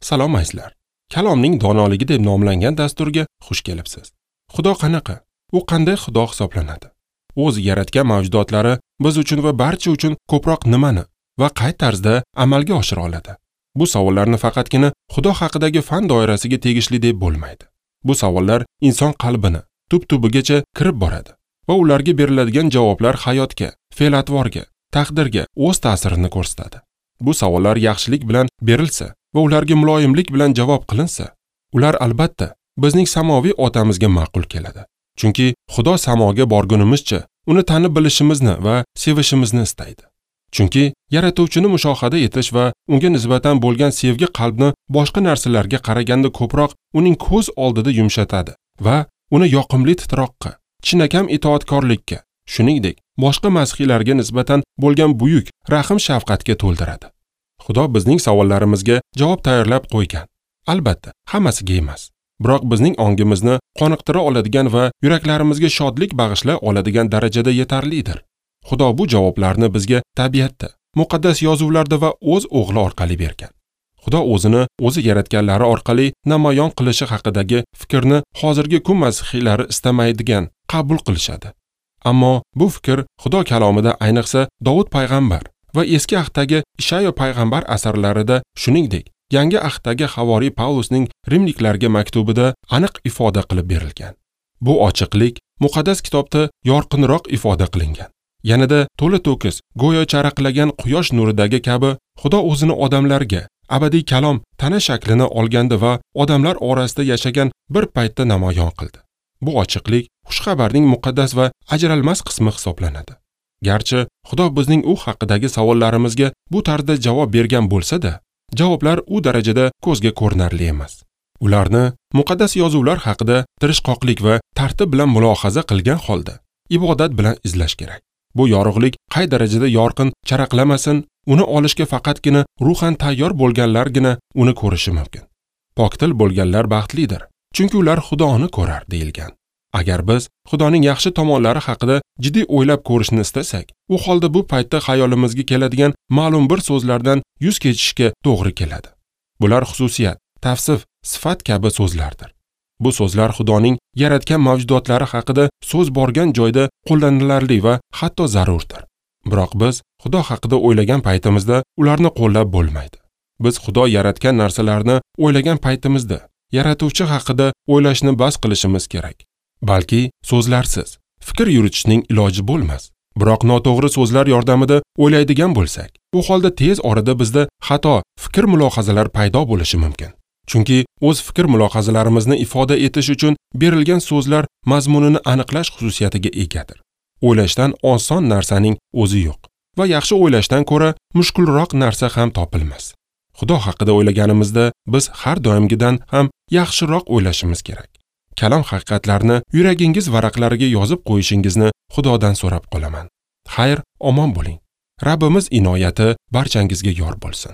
Salom azizlar. Kalomning donoligi deb nomlangan dasturga xush kelibsiz. Xudo qanaqa? U qanday Xudo hisoblanadi? O'zi yaratgan mavjudotlari biz uchun va barcha uchun ko'proq nimani va qay tarzda amalga oshira oladi? Bu savollarni faqatgina Xudo haqidagi fan doirasiga tegishli deb bo'lmaydi. Bu savollar inson qalbini tub-tubigacha kirib boradi va ularga beriladigan javoblar hayotga, fe'l-atvorga, taqdirga o'z ta'sirini ko'rsatadi. Bu savollar yaxshilik bilan berilsa va ularga muloyimlik bilan javob qilinsa, ular albatta bizning samoviy otamizga ma'qul keladi. Chunki Xudo samoga borgunimizcha uni tanib bilishimizni va sevishimizni istaydi. Chunki yaratuvchini mushohada etish va unga nisbatan bo'lgan sevgi qalbni boshqa narsalarga qaraganda ko'proq uning ko'z oldida yumshatadi va uni yoqimli titroqqa, chinakam itoatkorlikka, shuningdek, boshqa masihiylarga nisbatan bo'lgan buyuk rahm shafqatga to'ldiradi. Xudo bizning savollarimizga javob tayyorlab qo'ygan. Albatta, hammasiga emas. Biroq bizning ongimizni qoniqtira oladigan va yuraklarimizga shodlik bag'ishlay oladigan darajada yetarlidir. Xudo bu javoblarni bizga tabiatda, muqaddas yozuvlarda va o'z o'g'li orqali bergan. Xudo o'zini o'zi yaratganlari orqali namoyon qilishi haqidagi fikrni hozirgi kun masihiylari istamaydigan qabul qilishadi. Ammo bu fikr Xudo kalomida, ayniqsa Dovud payg'ambar va eski ahdagi Ishayo payg'ambar asarlarida, shuningdek, yangi ahdagi havoriy Pavlusning rimliklarga maktubida aniq ifoda qilib berilgan. Bu ochiqlik muqaddas kitobda yorqinroq ifoda qilingan. Yanada to'la-to'kis, go'yo charaqlagan quyosh nuridagi kabi Xudo o'zini odamlarga abadiy kalom tana shaklini olganda va odamlar orasida yashagan bir paytda namoyon qildi. Bu ochiqlik xushxabarning muqaddas va ajralmas qismi hisoblanadi. Garchi Xudo bizning u haqidagi savollarimizga bu tarzda javob bergan bo'lsa-da, javoblar u darajada ko'zga ko'rinarli emas. Ularni muqaddas yozuvlar haqida tirishqoqlik va tartib bilan mulohaza qilgan holda ibodat bilan izlash kerak. Bu yorug'lik qay darajada yorqin charaqlamasin, uni olishga faqatgina ruhan tayyor bo'lganlargina uni ko'rishi mumkin. Pokdil bo'lganlar baxtlidir, chunki ular Xudoni ko'rar deyilgan. Agar biz Xudoning yaxshi tomonlari haqida jiddiy o'ylab ko'rishni istasak, u holda bu paytda xayolimizga keladigan ma'lum bir so'zlardan yuz kechishga to'g'ri keladi. Bular xususiyat, tavsif, sifat kabi so'zlardir. Bu so'zlar Xudoning yaratgan mavjudotlari haqida so'z borgan joyda qo'llanilarli va hatto zarurdir. Biroq biz Xudo haqida o'ylagan paytimizda ularni qo'llab bo'lmaydi. Biz Xudo yaratgan narsalarni o'ylagan paytimizda yaratuvchi haqida o'ylashni bas qilishimiz kerak. Balki so'zlarsiz fikr yuritishning iloji bo'lmas. Biroq noto'g'ri so'zlar yordamida o'ylaydigan bo'lsak, u holda tez orada bizda xato fikr mulohazalar paydo bo'lishi mumkin. Chunki o'z fikr mulohazalarimizni ifoda etish uchun berilgan so'zlar mazmunini aniqlash xususiyatiga egadir. O'ylashdan oson narsaning o'zi yo'q va yaxshi o'ylashdan ko'ra mushkulroq narsa ham topilmas. Xudo haqida o'ylaganimizda biz har doimgidan ham yaxshiroq o'ylashimiz kerak. Kalom haqiqatlarini yuragingiz varaqlariga yozib qo'yishingizni Xudodan so'rab qolaman. Xayr, omon bo'ling. Rabbimiz inoyati barchangizga yor bo'lsin.